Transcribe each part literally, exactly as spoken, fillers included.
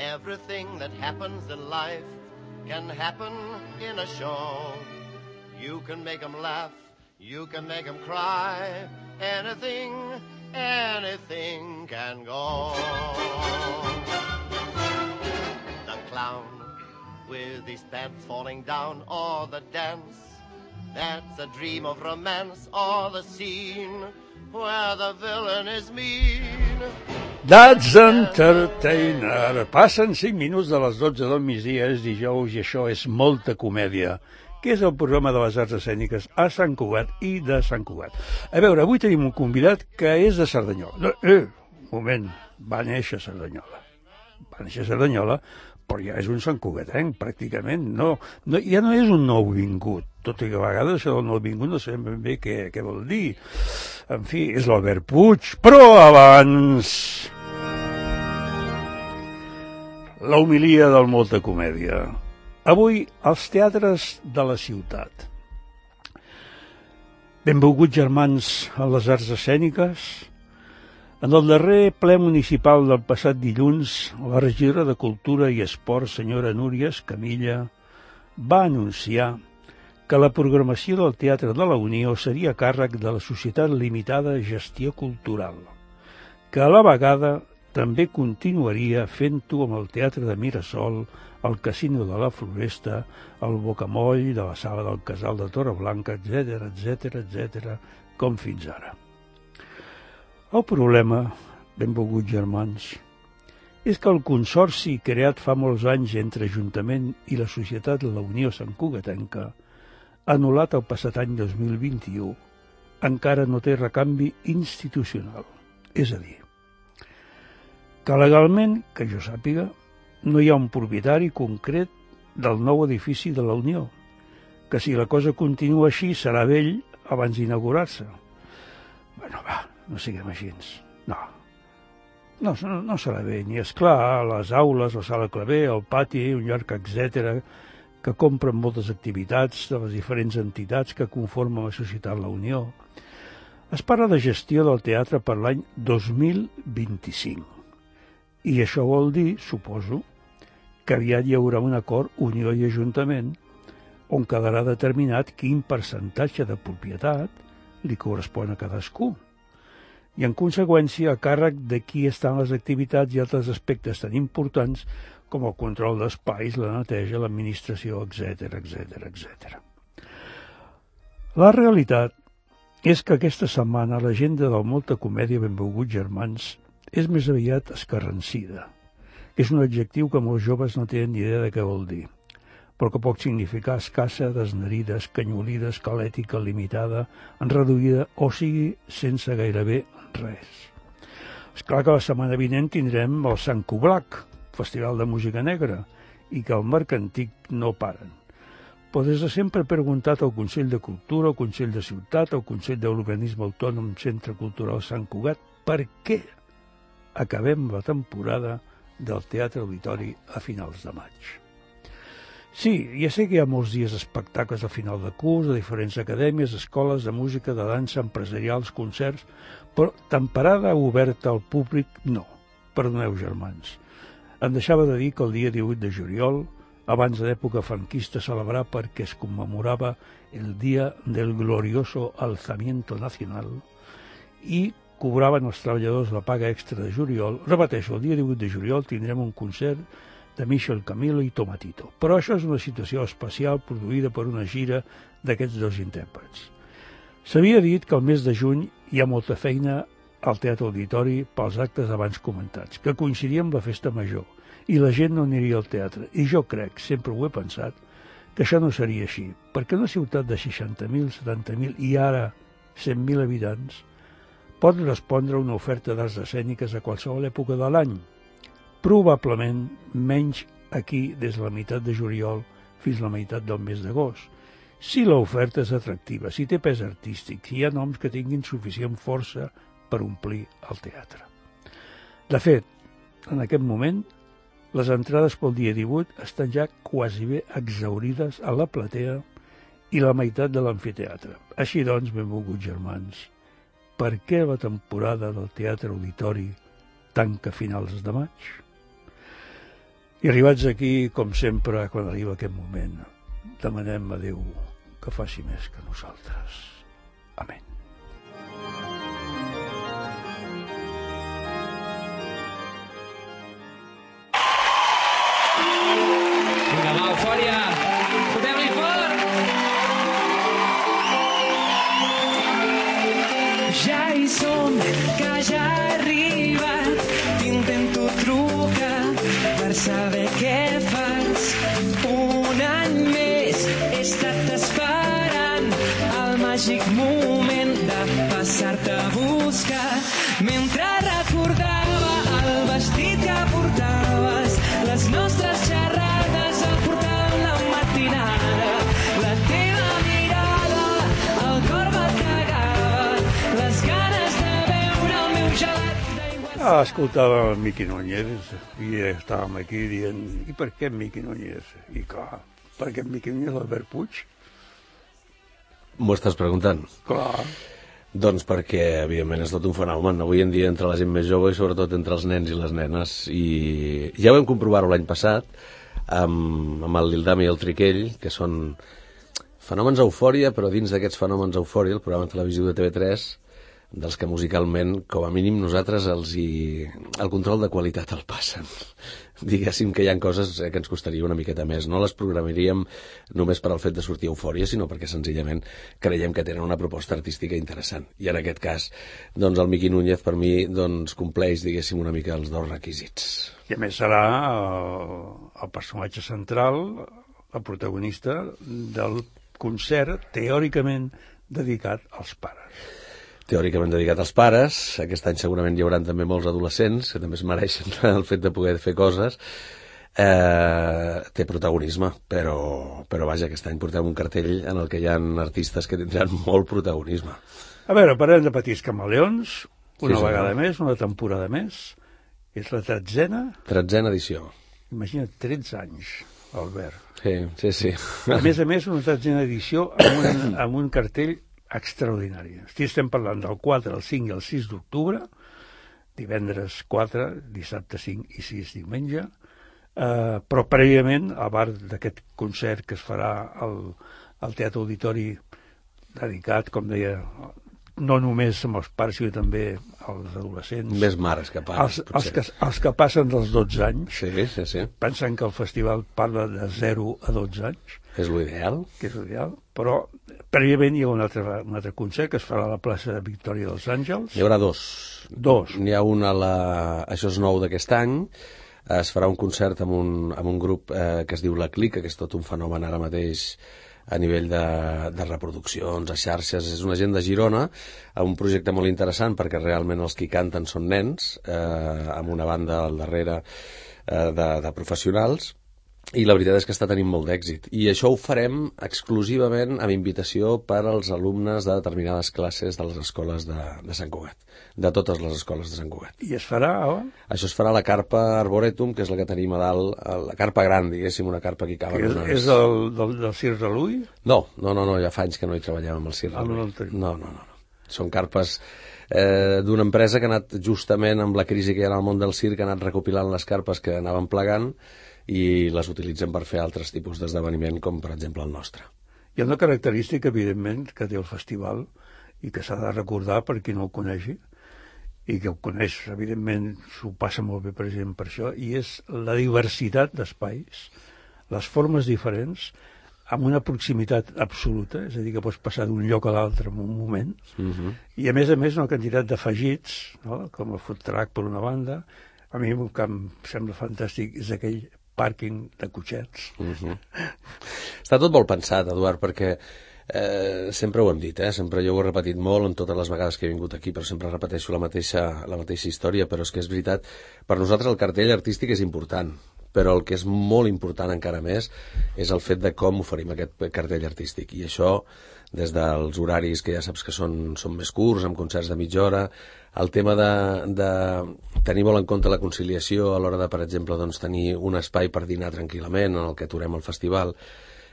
Everything that happens in life can happen in a show. You can make 'em laugh, you can make 'em cry. Anything, anything can go. The clown with his pants falling down, or the dance that's a dream of romance, or the scene where the villain is mean. That's Entertainer. Passen cinc minuts de les dotze del migdia, és dijous i això és Molta Comèdia, que és el programa de les arts escèniques a Sant Cugat i de Sant Cugat. A veure, avui tenim un convidat que és de Cerdanyola. No, eh, un moment, va néixer a Cerdanyola. Va néixer a Cerdanyola, però ja és un santcugatenc, pràcticament. No, no, ja no és un nouvingut, tot i que a vegades això del nouvingut no sabem ben bé què, què vol dir. En fi, és l'Albert Puig, però abans... La homilia del Molta Comèdia. Avui, als teatres de la ciutat. Benvolguts germans a les arts escèniques. En el darrer ple municipal del passat dilluns, la regidora de Cultura i Esport, senyora Núria Escamilla, va anunciar que la programació del Teatre de la Unió seria a càrrec de la Societat Limitada Gestió Cultural, que a la vegada també continuaria fent-ho amb el Teatre de Mirasol, el Casino de la Floresta, el Bocamoll de la Sala del Casal de Torreblanca, etcètera, etcètera, etcètera, com fins ara. El problema, benvolguts germans, és que el consorci creat fa molts anys entre Ajuntament i la Societat de la Unió Santcugatenca, anul·lat el passat any dos mil vint-i-u, encara no té recanvi institucional. És a dir, que legalment, que jo sàpiga, no hi ha un propietari concret del nou edifici de la Unió, que si la cosa continua així serà vell abans d'inaugurar-se. Bueno, va, no siguem així. No. No, no, no serà vell, ni és clar, les aules, la sala claver, el pati, un llarg, etcètera, que compren moltes activitats de les diferents entitats que conformen la Societat La Unió. Es parla de gestió del teatre per l'any dos mil vint-i-cinc. I això vol dir, suposo, que aviat hi haurà un acord Unió i Ajuntament on quedarà determinat quin percentatge de propietat li correspon a cadascú. I, en conseqüència, a càrrec de qui estan les activitats i altres aspectes tan importants com el control d'espais, la neteja, l'administració, etcètera, etcètera, etcètera. La realitat és que aquesta setmana l'agenda del Molta Comèdia, benvolguts germans, és més aviat escarransida. És un adjectiu que molts joves no tenen ni idea de què vol dir, però que pot significar escassa, desnerida, escanyolida, esquelètica, limitada, reduïda, o sigui, sense gairebé res. És clar que la setmana vinent tindrem el Sant Cublac, Festival de Música Negra, i que el Mercantic no paren. Però des de sempre he preguntat al Consell de Cultura, al Consell de Ciutat, al Consell de l'Organisme Autònom Centre Cultural Sant Cugat, per què acabem la temporada del Teatre Auditori a finals de maig. Sí, ja sé que hi ha molts dies espectacles a final de curs, de diferents acadèmies, escoles de música, de dansa, empresarials, concerts, però temporada oberta al públic, no. Perdoneu, germans. Em deixava de dir que el dia divuit de juliol, abans de l'època franquista, celebrar perquè es commemorava el Dia del Glorioso Alzamiento Nacional i cobraven els treballadors la paga extra de juliol. Repeteixo, el dia divuit de juliol tindrem un concert de Michel Camilo i Tomatito. Però això és una situació especial produïda per una gira d'aquests dos intèrprets. S'havia dit que el mes de juny hi ha molta feina al Teatre Auditori pels actes abans comentats, que coincidia amb la festa major, i la gent no aniria al teatre. I jo crec, sempre ho he pensat, que això no seria així, perquè una ciutat de seixanta mil, setanta mil i ara cent mil habitants pot respondre a una oferta d'arts escèniques a qualsevol època de l'any. Probablement menys aquí des de la meitat de juliol fins a la meitat del mes d'agost. Si l'oferta és atractiva, si té pes artístic, si hi ha noms que tinguin suficient força per omplir el teatre. De fet, en aquest moment, les entrades pel dia divuit estan ja quasi bé exhaurides a la platea i la meitat de l'amfiteatre. Així doncs, benvolguts germans, per què la temporada del Teatre Auditori tanca a finals de maig? I arribats aquí, com sempre, quan arriba aquest moment, demanem a Déu que faci més que nosaltres. Amén. Vinga, va, eufòria! Fotem-li fort! Ja hi som, que ja he arribat. T'intento trucar per saber què fas. Un any més he estat esperant el màgic moment de passar-te a buscar. Mentre recordava el vestit que portaves, les nostres xerrades al portal la matinada, la teva mirada, el cor bategava, les ganes de beure el meu gelat d'aigua. Ah, escoltava el Miqui Núñez i estàvem aquí dient, i per què Miqui Núñez? I clar, per què Miqui Núñez l'Albert Puig? M'ho estàs preguntant? Clar. Doncs perquè, evidentment, és tot un fenomen. Avui en dia, entre la gent més jove i sobretot entre els nens i les nenes. I ja ho vam comprovar-ho l'any passat amb, amb el Lildam i el Triquell, que són fenòmens eufòria, però dins d'aquests fenòmens eufòria, el programa televisiu de T V tres, dels que musicalment, com a mínim, nosaltres els hi... el control de qualitat el passen. Diguéssim que hi ha coses que ens costaria una miqueta més. No les programaríem només per al fet de sortir a Eufòria, sinó perquè senzillament creiem que tenen una proposta artística interessant. I en aquest cas, doncs el Miqui Núñez per mi doncs compleix, diguéssim, una mica els dos requisits. I a més serà el, el personatge central, el protagonista del concert teòricament dedicat als pares. Teòricament dedicat als pares. Aquest any segurament hi haurà també molts adolescents que també es mereixen el fet de poder fer coses. Eh, té protagonisme, però, però vaja, aquest any portem un cartell en el que hi ha artistes que tindran molt protagonisme. A veure, parlem de Petits Camaleons, una Sí, vegada senyor. més, una temporada més. És la tretzena. Tretzena edició. Imagina't, tretze anys, Albert. Sí, sí, sí. A més a més, una tretzena edició amb un, amb un cartell extraordinari. Estem parlant del quatre, el cinc i el sis d'octubre, divendres quatre, dissabte cinc i sis diumenge, eh, però prèviament, a part d'aquest concert que es farà al, al Teatre Auditori, dedicat, com deia, no només amb els pares, sinó també als adolescents. Més mares que pares, els, els, que, els que passen dels dotze anys, Sí, sí, sí. pensant que el festival parla de zero a dotze anys, És l'ideal. que és ideal, però prèviament hi ha un altre, un altre concert que es farà a la plaça de Victòria dels Àngels. Hi haurà dos. Dos. N'hi ha un a la... Això és nou d'aquest any. Es farà un concert amb un, amb un grup eh, que es diu La Clica, que és tot un fenomen ara mateix a nivell de, de reproduccions, a xarxes. És una gent de Girona, un projecte molt interessant perquè realment els que hi canten són nens, eh, amb una banda al darrere eh, de, de professionals, i la veritat és que està tenint molt d'èxit. I això ho farem exclusivament amb invitació per als alumnes de determinades classes de les escoles de, de Sant Cugat, de totes les escoles de Sant Cugat. I es farà on? Això es farà a la carpa Arboretum, que és la que tenim a dalt, a la carpa gran, diguéssim, una carpa que hi Que caben és, unes... és del, del, del Cirque de Lui? No, no, no, no, ja fa anys que no hi treballem amb el Cirque. Ah, no, Louis. no el tenim. no, no, no, no. Són carpes eh, d'una empresa que ha anat justament amb la crisi que hi ha en el món del circ, ha anat recopilant les carpes que anaven plegant i les utilitzen per fer altres tipus d'esdeveniment, com per exemple el nostre. Hi ha una característica, evidentment, que té el festival i que s'ha de recordar per qui no el coneixi, i que ho coneix, evidentment, s'ho passa molt bé, per exemple, per això, i és la diversitat d'espais, les formes diferents, amb una proximitat absoluta, és a dir, que pots passar d'un lloc a l'altre en un moment, Uh-huh. i a més a més una quantitat d'afegits, no? Com el food truck per una banda. A mi el que em sembla fantàstic és aquell pàrquing de cotxets. Uh-huh. Està tot molt pensat, Eduard, perquè eh, sempre ho hem dit, eh? Sempre jo ho he repetit molt en totes les vegades que he vingut aquí, però sempre repeteixo la mateixa, la mateixa història, però és que és veritat, per nosaltres el cartell artístic és important, però el que és molt important encara més és el fet de com oferim aquest cartell artístic, i això des dels horaris que ja saps que són, són més curts, amb concerts de mitja hora, el tema de, de tenir molt en compte la conciliació a l'hora de, per exemple, doncs, tenir un espai per dinar tranquil·lament en el que aturem el festival,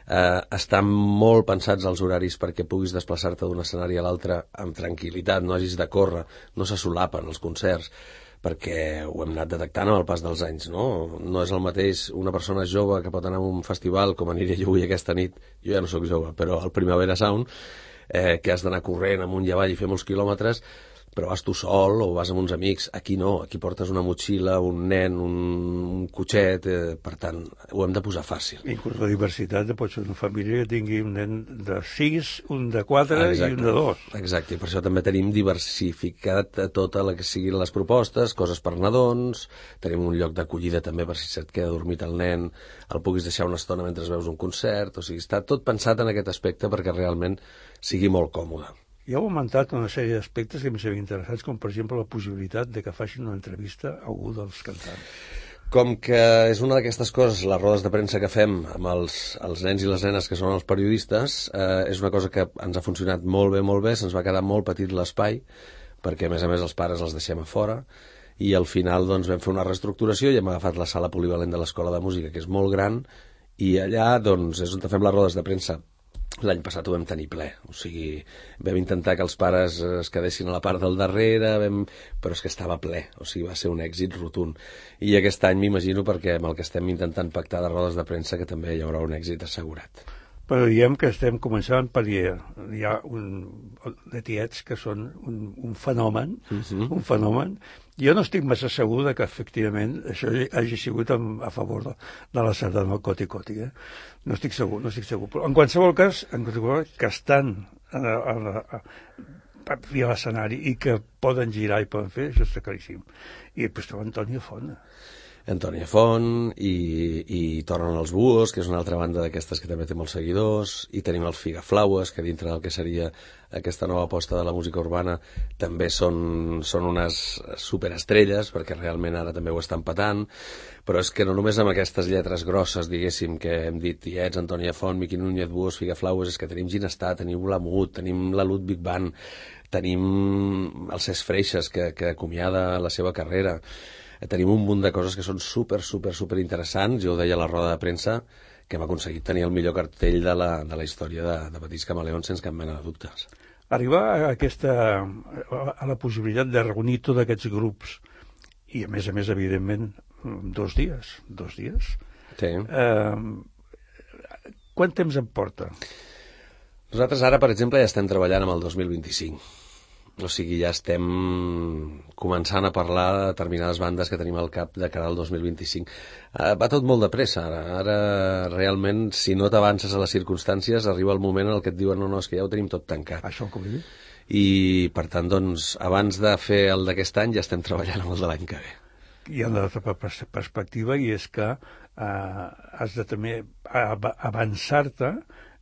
eh, estan molt pensats els horaris perquè puguis desplaçar-te d'un escenari a l'altre amb tranquil·litat, no hagis de córrer, no se solapen els concerts, perquè ho hem anat detectant amb el pas dels anys, no? No és el mateix una persona jove que pot anar a un festival, com aniré jo avui aquesta nit, jo ja no sóc jove, però al Primavera Sound, eh, que has d'anar corrent amunt i avall i fer molts quilòmetres, però vas tu sol o vas amb uns amics. Aquí no, aquí portes una motxilla, un nen, un, un cotxet, eh, per tant, ho hem de posar fàcil. Inclús la diversitat de pot ser una família que tingui un nen de sis, un de quatre Exacte. I un de dos. Exacte, i per això també tenim diversificat tota la que siguin les propostes, coses per nadons, tenim un lloc d'acollida també per si se't queda dormit el nen, el puguis deixar una estona mentre veus un concert, o sigui, està tot pensat en aquest aspecte perquè realment sigui molt còmode. I heu augmentat una sèrie d'aspectes que em semblen interessants, com per exemple la possibilitat de que facin una entrevista a algú dels cantants. Com que és una d'aquestes coses, les rodes de premsa que fem amb els, els nens i les nenes que són els periodistes, eh, és una cosa que ens ha funcionat molt bé, molt bé, se'ns va quedar molt petit l'espai, perquè a més a més els pares els deixem a fora, i al final doncs, vam fer una reestructuració i hem agafat la sala polivalent de l'Escola de Música, que és molt gran, i allà doncs, és on fem les rodes de premsa. L'any passat ho vam tenir ple, o sigui, vam intentar que els pares es quedessin a la part del darrere, vam... però és que estava ple, o sigui, va ser un èxit rotund. I aquest any m'imagino, perquè amb el que estem intentant pactar de rodes de premsa, que també hi haurà un èxit assegurat. Però diem que estem començant per hi ha, hi ha un, de tiets que són un, un fenomen, uh-huh. un fenomen. Jo no estic massa segur de que efectivament això hagi sigut en, a favor de, de la sardana del Coti Coti, eh? No estic segur, no estic segur. Però en qualsevol cas, en qualsevol cas que estan a, a, a, a, a l'escenari i que poden girar i poden fer, això està claríssim. I després trobo Antònia Font. Antònia Font i, i Tornen els Buhos, que és una altra banda d'aquestes que també té molts seguidors, i tenim els Figaflaues, que dintre del que seria aquesta nova aposta de la música urbana també són, són unes superestrelles, perquè realment ara també ho estan patant, però és que no només amb aquestes lletres grosses, diguéssim, que hem dit Tiets, Antònia Font, Miqui Núñez, Buhos, Figaflaues, és que tenim Ginestar, tenim Lamut, tenim la Ludwig Band, tenim el Cesc Freixas, que, que acomiada la seva carrera. Tenim un munt de coses que són super, super, super interessants. Jo ho deia a la roda de premsa, que hem aconseguit tenir el millor cartell de la, de la història de, de Petits Camaleons sense cap mena de dubtes. Arribar a, aquesta, a la possibilitat de reunir tots aquests grups i, a més a més, evidentment, dos dies, dos dies. Sí. Eh, quant temps em porta? Nosaltres ara, per exemple, ja estem treballant amb el dos mil vint-i-cinc. O sigui, ja estem començant a parlar de determinades bandes que tenim al cap de cara al dos mil vint-i-cinc. Uh, va tot molt de pressa, ara. Ara, realment, si no t'avances a les circumstàncies, arriba el moment en el que et diuen no, no, és que ja ho tenim tot tancat. Això com dir? I, per tant, doncs, abans de fer el d'aquest any, ja estem treballant amb el de l'any que ve. Hi ha una altra perspectiva, i és que uh, has de també avançar-te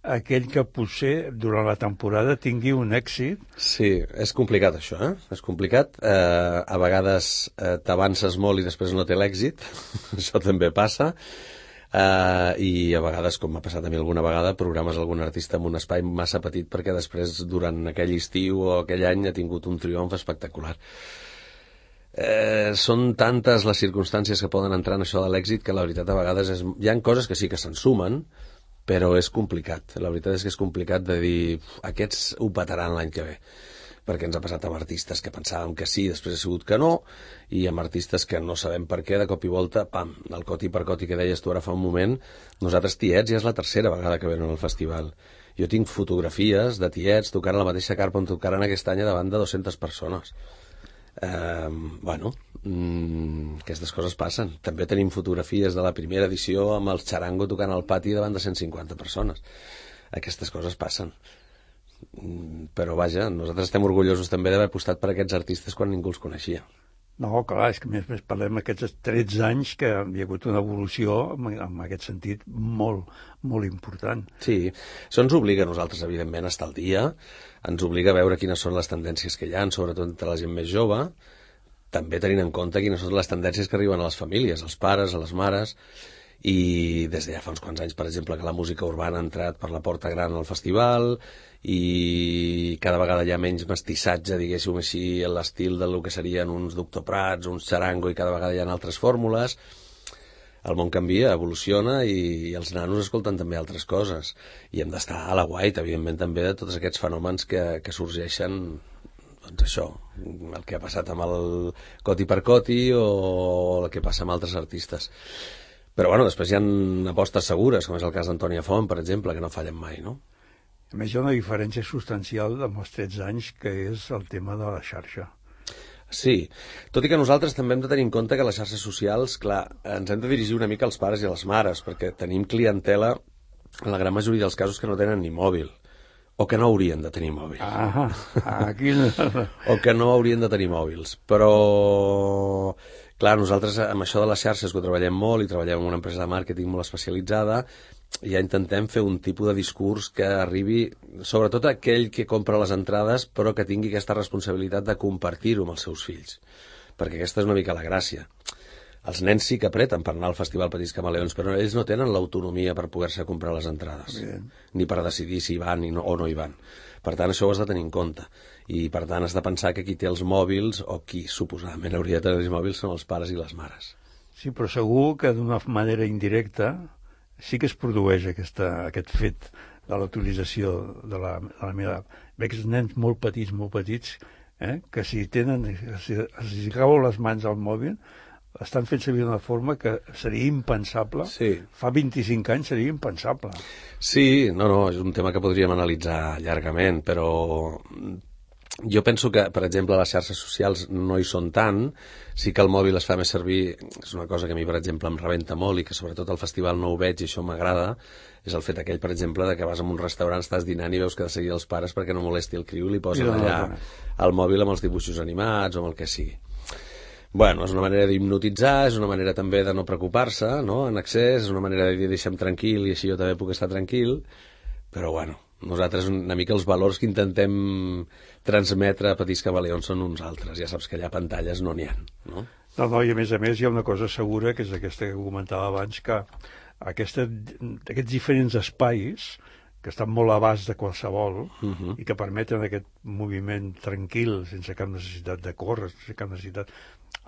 aquell que potser durant la temporada tingui un èxit. Sí, és complicat això, eh? És complicat. Eh, a vegades eh, t'avances molt i després no té l'èxit. Això també passa. Eh, I a vegades, com m'ha passat a mi alguna vegada, programes algun artista en un espai massa petit perquè després, durant aquell estiu o aquell any, ha tingut un triomf espectacular. Eh, són tantes les circumstàncies que poden entrar en això de l'èxit que la veritat a vegades és... hi ha coses que sí que se'n sumen, però és complicat. La veritat és que és complicat de dir aquests ho petaran l'any que ve, perquè ens ha passat amb artistes que pensàvem que sí, després ha sigut que no, i amb artistes que no sabem per què, de cop i volta, pam, el coti per coti que deies tu ara fa un moment, nosaltres Tiets ja és la tercera vegada que venen al festival. Jo tinc fotografies de Tiets tocant a la mateixa carpa on tocaran aquest any davant de dues-centes persones. Eh, bueno, mm, aquestes coses passen. També tenim fotografies de la primera edició amb el Charango tocant al pati davant de cent cinquanta persones. Aquestes coses passen. Mm, però vaja, nosaltres estem orgullosos també d'haver apostat per aquests artistes quan ningú els coneixia. No, clar, és que més, més parlem d'aquests tretze anys que hi ha hagut una evolució en, en aquest sentit molt, molt important. Sí, això ens obliga a nosaltres, evidentment, a estar al dia, ens obliga a veure quines són les tendències que hi ha, sobretot entre la gent més jove, també tenint en compte quines són les tendències que arriben a les famílies, als pares, a les mares, i des de ja fa uns quants anys, per exemple, que la música urbana ha entrat per la porta gran al festival i cada vegada hi ha menys mestissatge, diguéssim així, en l'estil del que serien uns Doctor Prats, uns Charango, i cada vegada hi ha altres fórmules. El món canvia, evoluciona, i, i els nanos escolten també altres coses. I hem d'estar a la guait, evidentment, també de tots aquests fenòmens que, que sorgeixen doncs això, el que ha passat amb el Coti per Coti o el que passa amb altres artistes. Però bueno, després hi ha apostes segures, com és el cas d'Antònia Font, per exemple, que no fallen mai, no? A més, hi ha una diferència substancial amb els tretze anys, que és el tema de la xarxa. Sí, tot i que nosaltres també hem de tenir en compte que les xarxes socials, clar, ens hem de dirigir una mica als pares i a les mares, perquè tenim clientela, en la gran majoria dels casos, que no tenen ni mòbil, o que no haurien de tenir mòbil. Ah, aquí no. O que no haurien de tenir mòbils. Però, clar, nosaltres amb això de les xarxes que ho treballem molt i treballem en una empresa de màrqueting molt especialitzada, ja intentem fer un tipus de discurs que arribi sobretot a aquell que compra les entrades però que tingui aquesta responsabilitat de compartir-ho amb els seus fills, perquè aquesta és una mica la gràcia. Els nens sí que apreten per anar al Festival Petits Camaleons, però ells no tenen l'autonomia per poder-se comprar les entrades, Bien. ni per decidir si hi van i no, o no hi van. Per tant, això ho has de tenir en compte. I, per tant, has de pensar que qui té els mòbils, o qui suposadament hauria de tenir els mòbils, són els pares i les mares. Sí, però segur que d'una manera indirecta sí que es produeix aquesta, aquest fet de la utilització de la, de la meva... Veig nens molt petits, molt petits, eh, que si tenen, si els cau les mans al mòbil, estan fent servir d'una forma que seria impensable. Sí. Fa vint-i-cinc anys seria impensable. Sí, no, no, és un tema que podríem analitzar llargament, però jo penso que, per exemple, les xarxes socials no hi són tant, sí que el mòbil es fa més servir, és una cosa que a mi, per exemple, em rebenta molt i que sobretot al festival no ho veig i això m'agrada, és el fet aquell, per exemple, de que vas a un restaurant, estàs dinant i veus que de seguida els pares perquè no molesti el criu li posen no, allà no. el mòbil amb els dibuixos animats o amb el que sigui. Bueno, és una manera d'hipnotitzar, és una manera també de no preocupar-se, no?, en excés, és una manera de dir deixa'm tranquil i així jo també puc estar tranquil, però bueno, nosaltres una mica els valors que intentem transmetre a Petits Camaleons són uns altres, ja saps que allà pantalles no n'hi ha, no? No, no, i a més a més hi ha una cosa segura, que és aquesta que comentava abans, que aquesta, aquests diferents espais que estan molt a l'abast de qualsevol uh-huh. i que permeten aquest moviment tranquil, sense cap necessitat de córrer, sense cap necessitat,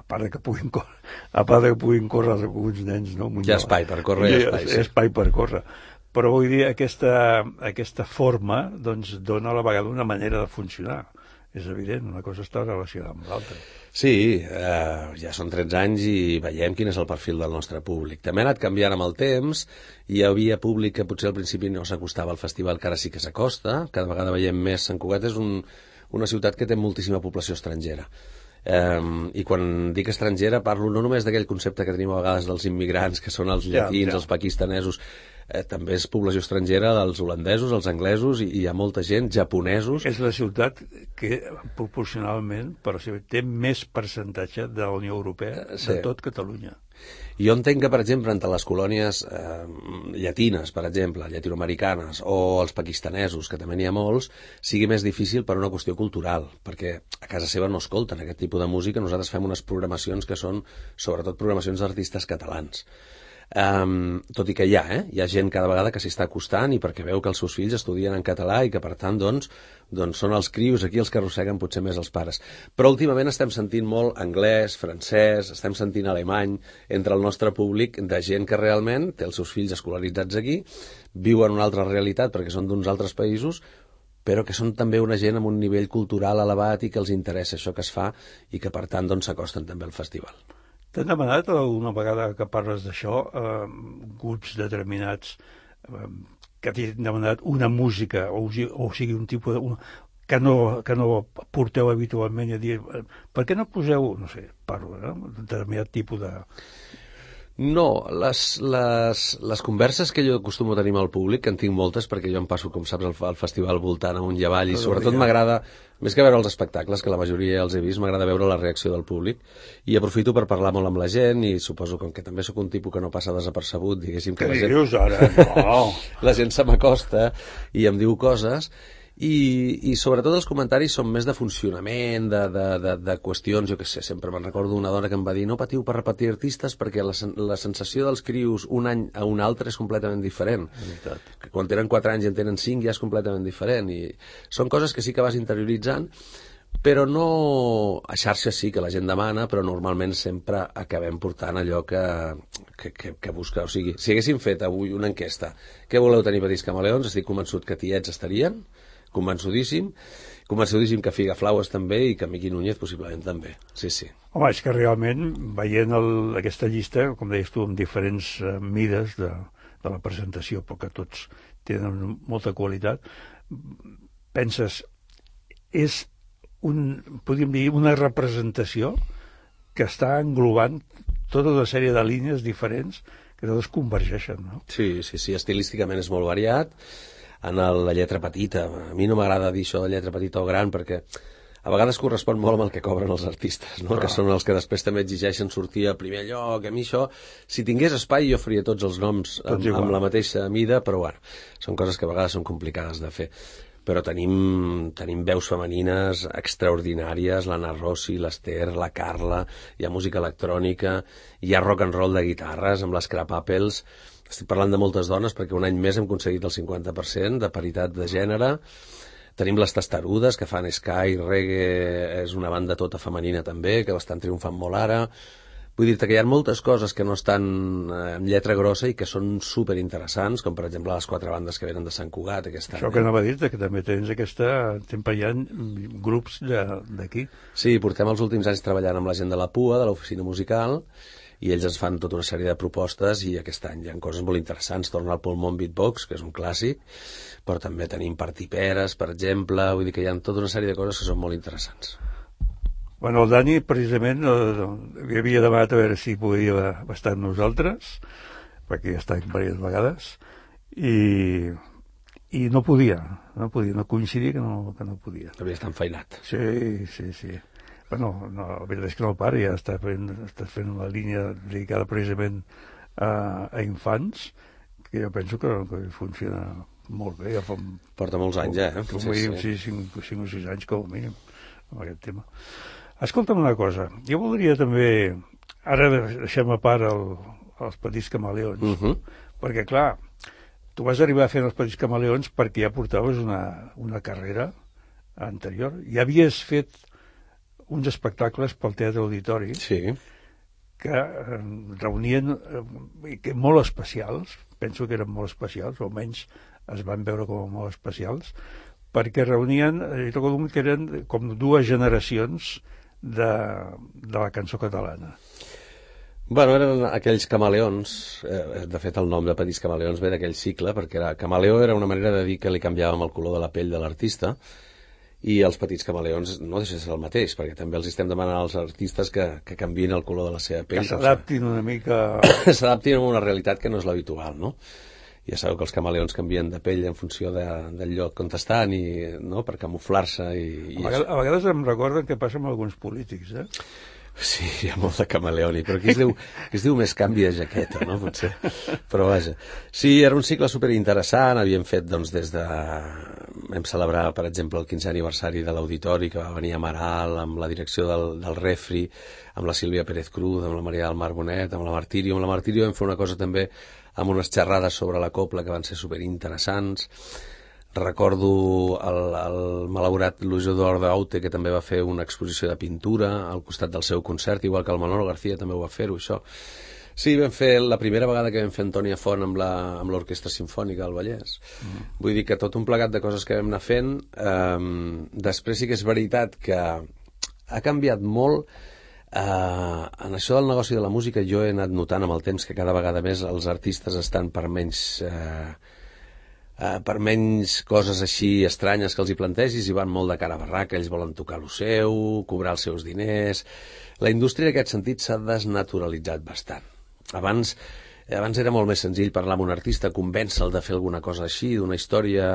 a part de que puguin córrer, a part de que puguin córrer alguns nens, no? Hi ha espai per córrer, hi ha espai, sí. Hi ha espai per córrer. Però vull dir, aquesta, aquesta forma doncs, dona a la vegada una manera de funcionar. És evident, una cosa està relacionada amb l'altra. Sí, eh, ja són tretze anys i veiem quin és el perfil del nostre públic. També ha anat canviant amb el temps, hi havia públic que potser al principi no s'acostava al festival, que ara sí que s'acosta, cada vegada veiem més. Sant Cugat és un, una ciutat que té moltíssima població estrangera. Um, i quan dic estrangera parlo no només d'aquell concepte que tenim a vegades dels immigrants, que són els llatins, ja, ja. els pakistanesos, eh, també és població estrangera dels holandesos, els anglesos, i, i hi ha molta gent, japonesos. És la ciutat que proporcionalment per ser, té més percentatge de la Unió Europea uh, sí. de tot Catalunya. Jo entenc que, per exemple, entre les colònies eh, llatines, per exemple, llatinoamericanes, o els pakistanesos, que també n'hi ha molts, sigui més difícil per una qüestió cultural, perquè a casa seva no escolten aquest tipus de música. Nosaltres fem unes programacions que són, sobretot, programacions d'artistes catalans. Um, tot i que hi ha, eh? hi ha gent cada vegada que s'hi està acostant i perquè veu que els seus fills estudien en català i que, per tant, doncs, doncs són els crios aquí els que arrosseguen potser més els pares. Però últimament estem sentint molt anglès, francès, estem sentint alemany entre el nostre públic, de gent que realment té els seus fills escolaritzats aquí, viuen una altra realitat perquè són d'uns altres països, però que són també una gent amb un nivell cultural elevat i que els interessa això que es fa i que, per tant, doncs, s'acosten també al festival. T'han demanat una vegada que parles d'això, eh, grups determinats eh, que t'han demanat una música, o, o sigui, un tipus de... Una, que, no, que no porteu habitualment, i a dir, per què no poseu, no sé, parlo, no? un determinat tipus de... No, les, les, les converses que jo acostumo a tenir amb el públic, que en tinc moltes, perquè jo em passo, com saps, al, al festival voltant amunt i avall, i sobretot m'agrada, més que veure els espectacles, que la majoria ja els he vist, m'agrada veure la reacció del públic, i aprofito per parlar molt amb la gent, i suposo que, que també sóc un tipus que no passa desapercebut, diguéssim que Què la gent... dius ara? No! La gent se m'acosta i em diu coses, I, i sobretot els comentaris són més de funcionament, de, de, de, de qüestions, jo què sé, sempre me'n recordo una dona que em va dir no patiu per repetir artistes perquè la, la sensació dels crios un any a un altre és completament diferent. Que quan tenen quatre anys i en tenen cinc ja és completament diferent, i són coses que sí que vas interioritzant, però no... A xarxes sí que la gent demana, però normalment sempre acabem portant allò que, que, que, que busca. O sigui, si haguéssim fet avui una enquesta, què voleu tenir Petits Camaleons? Estic convençut que tiets estarien, convençudíssim, convençudíssim que Figaflaues també i que Miqui Núñez possiblement també, sí, sí. Home, és que realment, veient el, aquesta llista, com deies tu, amb diferents uh, mides de, de la presentació, perquè tots tenen molta qualitat, penses, és un, podríem dir, una representació que està englobant tota una sèrie de línies diferents que totes convergeixen, no? Sí, sí, sí, estilísticament és molt variat. En el, la lletra petita, a mi no m'agrada dir això de lletra petita o gran, perquè a vegades correspon molt amb el que cobren els artistes, no? Que són els que després també exigeixen sortir a primer lloc. A mi això, si tingués espai, jo faria tots els noms amb, amb la mateixa mida, però bueno, són coses que a vegades són complicades de fer. Però tenim, tenim veus femenines extraordinàries, l'Anna Rossi, l'Ester, la Carla, hi ha música electrònica, hi ha rock and roll de guitarres amb les Crap Apples. Estic parlant de moltes dones perquè un any més hem aconseguit el cinquanta per cent de paritat de gènere. Tenim les Testarudes, que fan Sky, reggae, és una banda tota femenina també, que estan triomfant molt ara. Vull dir-te que hi ha moltes coses que no estan en lletra grossa i que són superinteressants, com per exemple les quatre bandes que venen de Sant Cugat aquest any. Això que anava a dir-te, que també tens aquesta... Sempre hi ha grups d'aquí. Sí, portem els últims anys treballant amb la gent de la P U A, de l'oficina musical, i ells ens fan tota una sèrie de propostes i aquest any hi ha coses molt interessants. Torna al Pulmón Beatbox, que és un clàssic, però també tenim Partiperes, per exemple, vull dir que hi ha tota una sèrie de coses que són molt interessants. Bueno, el Dani, precisament, eh, havia demanat a veure si podia estar amb nosaltres, perquè ja està diverses vegades, i, i no podia, no podia, no coincidia que no, que no podia. Havia estat enfeinat. Sí, sí, sí. Bueno, no, la veritat és que no el pare, ja està fent, està fent una línia dedicada precisament a, a infants, que jo penso que, que funciona molt bé. Ja fa, porta molts anys, ja, eh? Com sí, sí. cinc o sis anys com a mínim, amb aquest tema. Escolta'm una cosa, jo voldria també, ara deixem a part el, els Petits Camaleons, uh -huh. perquè clar, tu vas arribar a fer els Petits Camaleons perquè ja portaves una, una carrera anterior, ja havies fet uns espectacles pel Teatre Auditori, sí, que eh, reunien eh, que molt especials, penso que eren molt especials, o almenys es van veure com a molt especials, perquè reunien, eh, que eren com dues generacions de, de la cançó catalana. Bueno, eren aquells camaleons, eh, de fet el nom de Petits Camaleons ve d'aquell cicle, perquè era, camaleó era una manera de dir que li canviàvem el color de la pell de l'artista, i els Petits Camaleons no deixa de ser el mateix, perquè també els estem demanant als artistes que, que canviïn el color de la seva pell. Que s'adaptin una mica... s'adaptin a una realitat que no és l'habitual, no? Ja sabeu que els camaleons canvien de pell en funció de, del lloc on estan, i, no? Per camuflar-se. I, i a, vegades, a vegades em recorden que passa amb alguns polítics, eh? Sí, hi ha molt de camaleònic, però aquí es diu, es diu més canvi de jaqueta, no? Potser. Però vaja. Sí, era un cicle superinteressant, havíem fet, doncs, des de... Vam celebrar, per exemple, el quinzè aniversari de l'Auditori, que va venir a Amaral, amb la direcció del, del Refri, amb la Sílvia Pérez Cruz, amb la Maria del Mar Bonet, amb la Martirio. Amb la Martirio vam fer una cosa també amb unes xerrades sobre la copla que van ser superinteressants. Recordo el, el malaurat Luis Eduardo Aute, que també va fer una exposició de pintura al costat del seu concert, igual que el Manolo García també ho va fer-ho, això. Sí, vam fer la primera vegada que vam fer Antònia Font amb l'Orquestra Simfònica del Vallès. Mm. Vull dir que tot un plegat de coses que vam anar fent. Um, després sí que és veritat que ha canviat molt. Uh, en això del negoci de la música jo he anat notant amb el temps que cada vegada més els artistes estan per menys... Uh, Uh, per menys coses així estranyes que els hi plantegis, i van molt de cara a barraca, ells volen tocar lo seu, cobrar els seus diners. La indústria en aquest sentit s'ha desnaturalitzat bastant. Abans, abans era molt més senzill parlar amb un artista, convèncer-lo de fer alguna cosa així, d'una història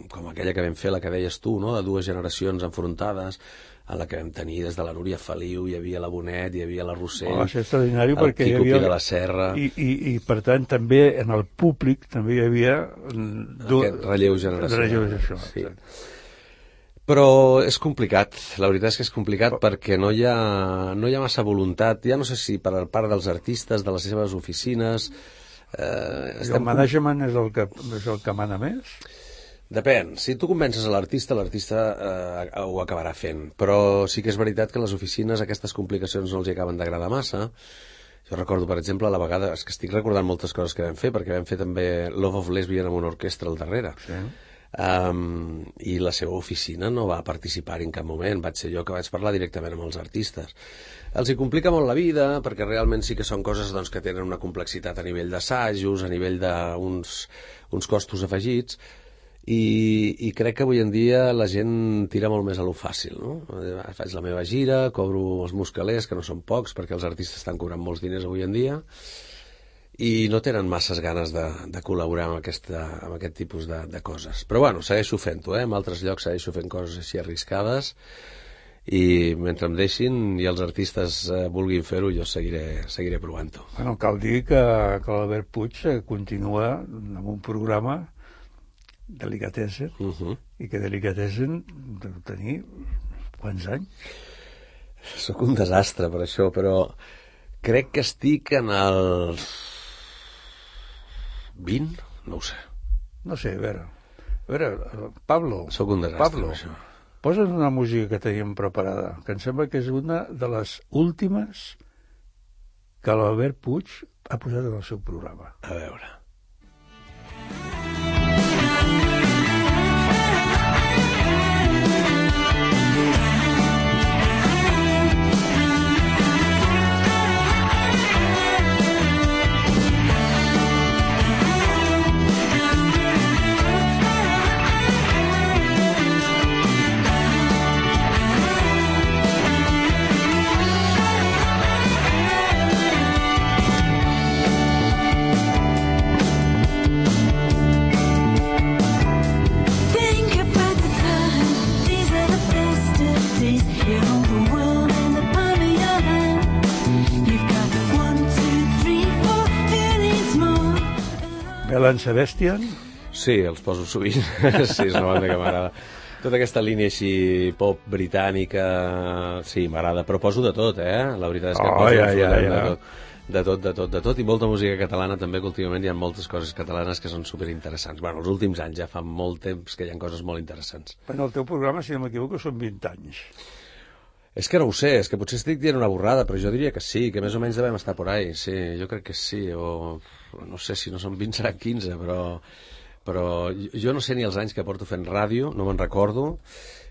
com aquella que vam fer, la que deies tu, no? De dues generacions enfrontades, en la que vam tenir des de la Núria Feliu, hi havia la Bonet, hi havia la Rossell, oh, el Quico hi havia... Pi de la Serra... I, i, I, per tant, també en el públic també hi havia... Du... Aquest relleu generacional. Relleu generacional, sí. Però és complicat, la veritat és que és complicat oh. perquè no hi, ha, no hi ha massa voluntat, ja no sé si per part dels artistes, de les seves oficines... Eh, estem... El management és el que, és el que mana més? Depèn. Si tu convences a l'artista, l'artista eh, ho acabarà fent. Però sí que és veritat que les oficines aquestes complicacions no els hi acaben d'agradar massa. Jo recordo, per exemple, la vegada... És que estic recordant moltes coses que vam fer, perquè vam fer també Love of Lesbian amb una orquestra al darrere. Sí. Um, i la seva oficina no va participar en cap moment, vaig ser jo que vaig parlar directament amb els artistes. Els hi complica molt la vida, perquè realment sí que són coses doncs, que tenen una complexitat a nivell d'assajos, a nivell d'uns uns costos afegits, i, i crec que avui en dia la gent tira molt més a lo fàcil, no? Faig la meva gira, cobro els meus calés, que no són pocs, perquè els artistes estan cobrant molts diners avui en dia, i no tenen masses ganes de, de col·laborar amb, aquesta, amb aquest tipus de, de coses. Però bueno, segueixo fent-ho, eh? En altres llocs segueixo fent coses així arriscades, i mentre em deixin i els artistes eh, vulguin fer-ho, jo seguiré, seguiré provant-ho. Bueno, cal dir que, que l'Albert Puig continua amb un programa Delicatessen, Uh -huh. i que Delicatessen deu tenir quants anys? Sóc un desastre per això, però crec que estic en els vint, no ho sé. No sé, a veure, a veure, Pablo, Sóc un desastre Pablo, amb això. posa's una música que teníem preparada, que em sembla que és una de les últimes que l'Albert Puig ha posat en el seu programa. A veure. Belen Sebastian? Sí, els poso sovint. Sí, és una banda que m'agrada. Tota aquesta línia així pop britànica, sí, m'agrada, però poso de tot, eh? La veritat és que Oh, poso ja, ja, absolutament ja. de tot. De tot, de tot, de tot, i molta música catalana també, que últimament hi ha moltes coses catalanes que són superinteressants. Bueno, els últims anys ja fa molt temps que hi ha coses molt interessants. Bueno, el teu programa, si no m'equivoco, són vint anys. És que no ho sé, és que potser estic dient una borrada, però jo diria que sí, que més o menys devem estar por ahí, sí, jo crec que sí, o no sé si no són vint, seran quinze, però, però jo no sé ni els anys que porto fent ràdio, no me'n recordo,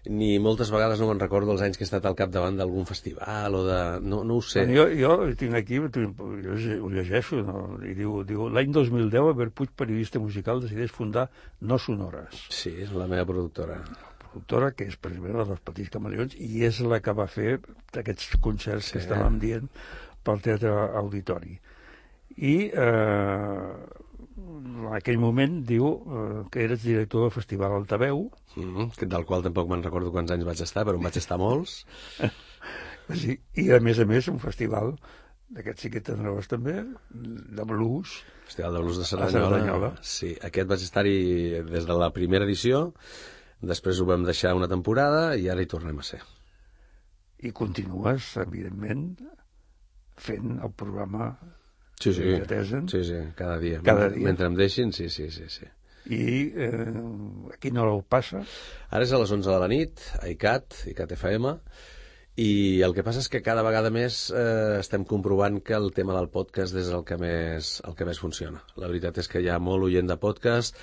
ni moltes vegades no me'n recordo els anys que he estat al capdavant d'algun festival o de... no, no ho sé. Bueno, jo, jo tinc aquí, jo ho llegeixo, no? I diu, diu l'any dos mil deu, Albert Puig, periodista musical, decideix fundar No Sonores. Sí, és la meva productora. Productora que és precisament la dels Petits Camaleons i és la que va fer aquests concerts sí. que estàvem dient pel Teatre Auditori. I eh, en aquell moment diu eh, que eres director del Festival Altaveu, Mm-hmm, del qual tampoc me'n recordo quants anys vaig estar, però en vaig estar molts. sí, i a més a més un festival d'aquests sí que tindràs també, de blues. Festival de Blues de Cerdanyola. Cerdanyola. Sí, aquest vaig estar-hi des de la primera edició, després ho vam deixar una temporada i ara hi tornem a ser. I continues, evidentment, fent el programa Sí, sí, Delicatessen. sí, sí, cada dia. Cada mentre, dia. Mentre em deixin, sí, sí, sí, sí. I eh, a quina hora ho passa? Ara és a les onze de la nit, a I C A T, I C A T F M, i el que passa és que cada vegada més eh, estem comprovant que el tema del podcast és el que més, el que més funciona. La veritat és que hi ha molt oient de podcast,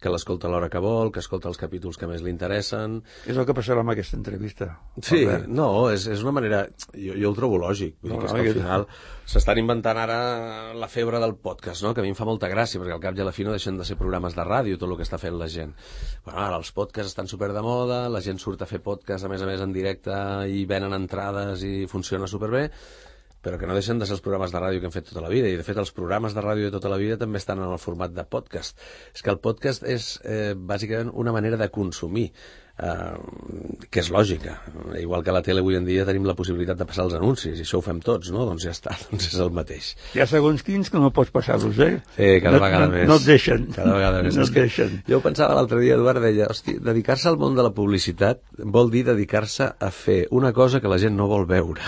que l'escolta a l'hora que vol, que escolta els capítols que més li interessen. És el que passarà amb aquesta entrevista. Sí, Albert. no, és, és una manera... Jo, jo ho trobo lògic. Vull No, dir que, és no, que al jo- final s'estan inventant ara la febre del podcast, no? Que a mi em fa molta gràcia, perquè al cap i a la fi no deixen de ser programes de ràdio, tot el que està fent la gent. Bueno, ara els podcasts estan super de moda, la gent surt a fer podcast, a més a més, en directe, i venen entrades i funciona superbé, però que no deixen de ser els programes de ràdio que hem fet tota la vida, i de fet els programes de ràdio de tota la vida també estan en el format de podcast. És que el podcast és eh, bàsicament una manera de consumir, eh, que és lògica. Igual que a la tele avui en dia tenim la possibilitat de passar els anuncis, i això ho fem tots, no? Doncs ja està, doncs és el mateix. Hi ha segons quins que no pots passar-los, eh? Sí, cada no, vegada no, més. No et deixen. Cada vegada més. No És et que deixen. Jo ho pensava l'altre dia, Eduard deia, hosti, dedicar-se al món de la publicitat vol dir dedicar-se a fer una cosa que la gent no vol veure.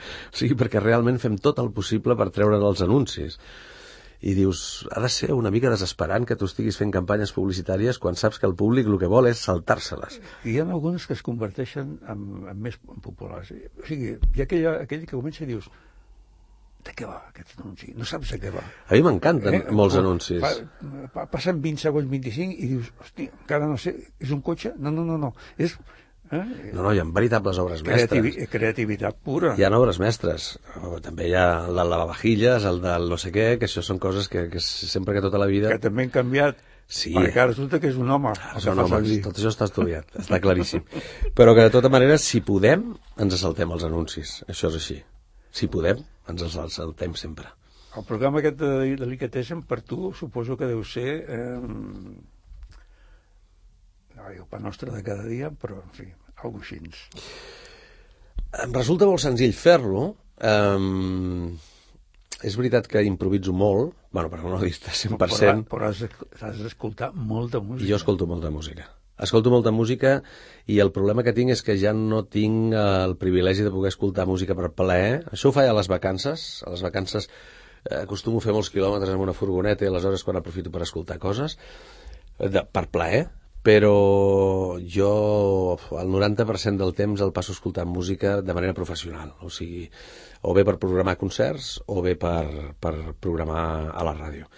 O sigui, perquè realment fem tot el possible per treure els anuncis. I dius, ha de ser una mica desesperant que tu estiguis fent campanyes publicitàries quan saps que el públic el que vol és saltar-se-les. I hi ha algunes que es converteixen en, en més populars. O sigui, hi ha aquell, aquell que comença i dius de què va aquest anunci? No saps de què va. A mi m'encanten Eh, molts pa- anuncis. pa- pa- Passen vint segons, vint-i-cinc, i dius, hosti, encara no sé, és un cotxe? No, no, no, no. És eh? No, no, hi ha veritables obres Creativi mestres. creativitat pura. Hi ha obres mestres. O també hi ha el del lavavajilles, el del no sé què, que això són coses que, que sempre que tota la vida... Que també han canviat. Sí. Perquè ara resulta que és un home. el que Són fa homes, servir. tot això està estudiat, està claríssim. Però que de tota manera, si podem, ens saltem els anuncis. Això és així. Si podem, ens els saltem sempre. El programa aquest de Delicatessen, per tu, suposo que deu ser... Eh, no, el pa nostre de cada dia, però, en fi, alguna cosa així. Em resulta molt senzill fer-lo. Um, és veritat que improviso molt, bueno, però no dit cent per cent. Però, però has, has d'escoltar molta música. Jo escolto molta música. Escolto molta música i el problema que tinc és que ja no tinc el privilegi de poder escoltar música per plaer. Això ho faig a les vacances. A les vacances eh, acostumo a fer molts quilòmetres amb una furgoneta i aleshores quan aprofito per escoltar coses de, per plaer, però jo el noranta per cent del temps el passo escoltant música de manera professional, o sigui, o bé per programar concerts o bé per, per programar a la ràdio.